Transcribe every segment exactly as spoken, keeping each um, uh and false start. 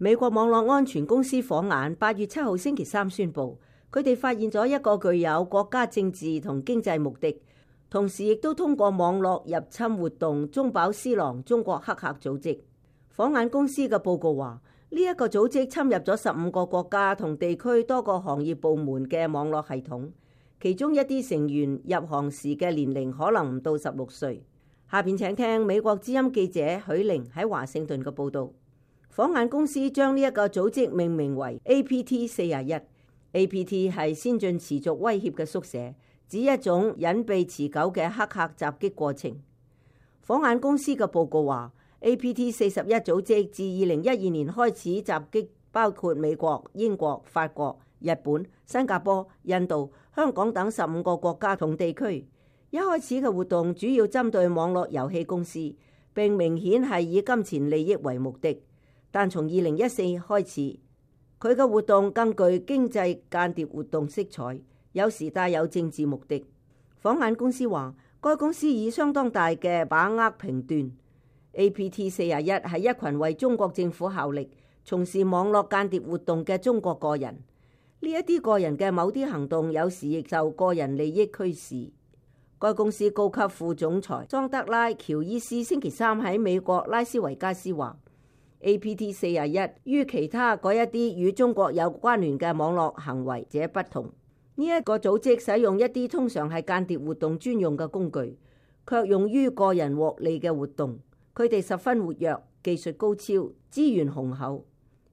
美國網絡安全公司火眼八月七號星期三宣布，佢哋發現咗一個具有國家政治同經濟目的，同時亦都通過網絡入侵活動中飽私囊中國黑客組織。火眼公司嘅報告話，呢一個組織侵入咗十五個國家同地區多個行業部門嘅網絡系統，其中一啲成員入行時嘅年齡可能唔到十六歲。下邊請聽美國之音記者許玲喺華盛頓嘅報導。火眼公司將呢一個組織命名為 A P T 四十一。A P T 係先進持續威脅嘅縮寫，指一種隱蔽持久嘅黑客襲擊過程。火眼公司嘅報告話， A P T 四十一組織自二零一二年開始襲擊包括美國、英國、法國、日本、新加坡、印度、香港等十五個國家同地區。一開始嘅活動主要針對網絡遊戲公司，並明顯係以金錢利益為目的。但從二零一四開始，佢嘅活動更具經濟間諜活動色彩，有時帶有政治目的。火眼公司話，該公司以相當大嘅把握評斷 A P T 四十一係一群為中國政府效力、從事網絡間諜活動嘅中國個人。呢一啲個人嘅某啲行動有時亦受個人利益驅使。該公司高級副總裁莊德拉喬伊斯星期三喺美國拉斯維加斯話，A P T 四十一於其他嗰一啲與中國有關聯嘅網絡行為者不同。呢、這、一個組織使用一啲通常係間諜活動專用嘅工具，卻用於個人獲利嘅活動。佢哋十分活躍，技術高超，資源雄厚。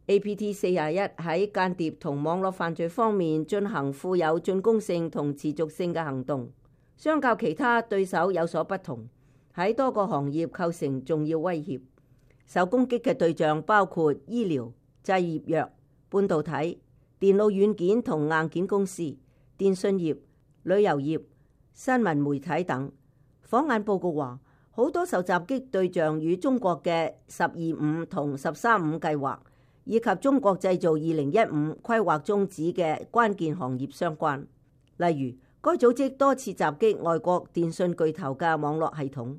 A P T 四十一喺間諜同網絡犯罪方面進行富有進攻性同持續性嘅行動，相較其他對手有所不同，喺多個行業構成重要威脅。受攻擊嘅對象包括醫療、製業藥、半導體、電腦軟件同硬件公司、電信業、旅遊業、新聞媒體等。火眼報告話，好多受襲擊對象與中國嘅十二五同十三五計劃，以及中國製造二零一五規劃中指嘅關鍵行業相關。例如，該組織多次襲擊外國電信巨頭嘅網絡系統，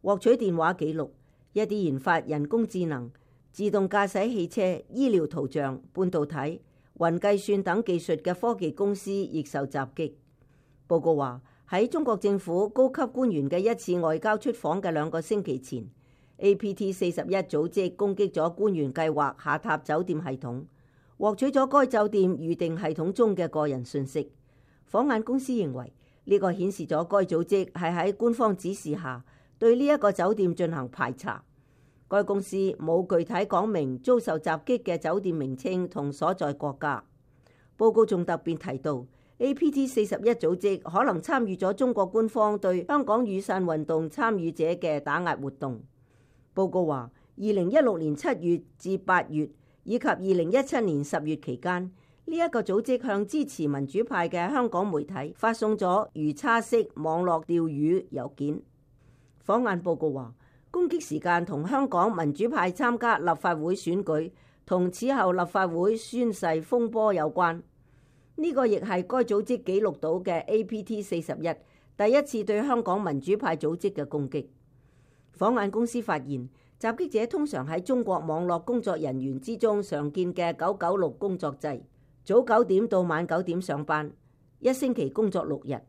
獲取電話記錄。一啲研發人工智能、自動駕駛汽車、醫療圖像、半導體、雲計算等技術嘅科技公司亦受襲擊。報告話，喺中國政府高級官員嘅一次外交出訪嘅兩個星期前， A P T 四十一組織攻擊咗官員計劃下榻酒店系統，獲取咗該酒店預訂系統中嘅個人信息。火眼公司認為呢個顯示咗該組織係喺官方指示下對呢一個酒店進行排查。該公司冇具體講明遭受襲擊嘅酒店名稱同所在國家。報告仲特別提到 A P T 四十一組織可能參與咗中國官方對香港雨傘運動參與者嘅打壓活動。報告話，二零一六年七月至八月以及二零一七年十月期間，呢一個組織向支持民主派嘅香港媒體發送咗魚叉式網絡釣魚郵件。火眼報告話，攻擊時間同香港民主派參加立法會選舉同此後立法會宣誓風波有關。呢、這個亦係該組織記錄到嘅 A P T 四十一第一次對香港民主派組織嘅攻擊。火眼公司發現，襲擊者通常喺中國網絡工作人員之中常見嘅九九六工作制，早九點到晚九點上班，一星期工作六日。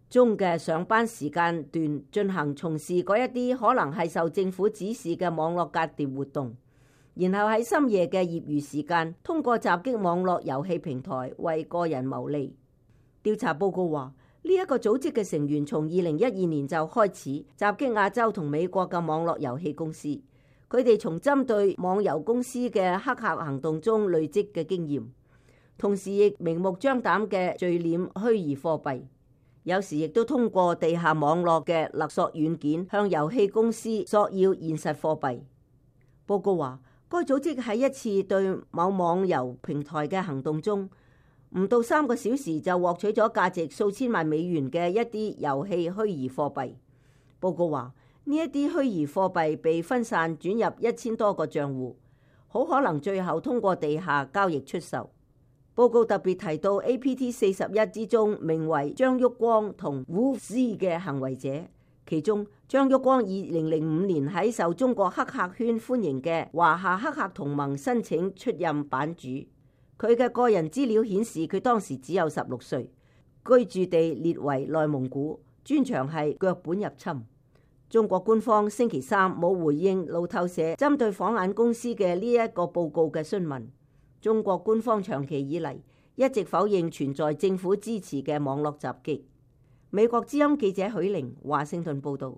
中嘅上班時間段進行從事嗰一啲可能係受政府指示嘅網絡間諜活動，然後喺深夜嘅業餘時間通過襲擊網絡遊戲平台為個人牟利。調查報告話，呢一個組織嘅成員從二零一二年就開始襲擊亞洲同美國嘅網絡遊戲公司，佢哋從針對網遊公司嘅黑客行動中累積嘅經驗，同時亦明目張膽嘅聚斂虛擬貨幣。有時亦都通過地下網絡嘅勒索軟件向遊戲公司索要現實貨幣。報告話，該組織喺一次對某網遊平台嘅行動中，唔到三個小時就獲取咗價值數千萬美元嘅一啲遊戲虛擬貨幣。報告話，呢一啲虛擬貨幣被分散轉入一千多個賬戶，好可能最後通過地下交易出售。報告特別提到 A P T 四十一之中名為張旭光同 Wolf Z 嘅行為者，其中，張旭光二零零五年喺受中國黑客圈歡迎嘅華夏黑客同盟申請出任版主。佢嘅個人資料顯示，佢當時只有十六歲，居住地列為內蒙古，專長係腳本入侵。中國官方星期三冇回應路透社針對晃眼公司嘅呢一個報告嘅詢問。中國官方長期以嚟一直否認存在政府支持嘅網絡襲擊。美國之音記者許玲華盛頓報道。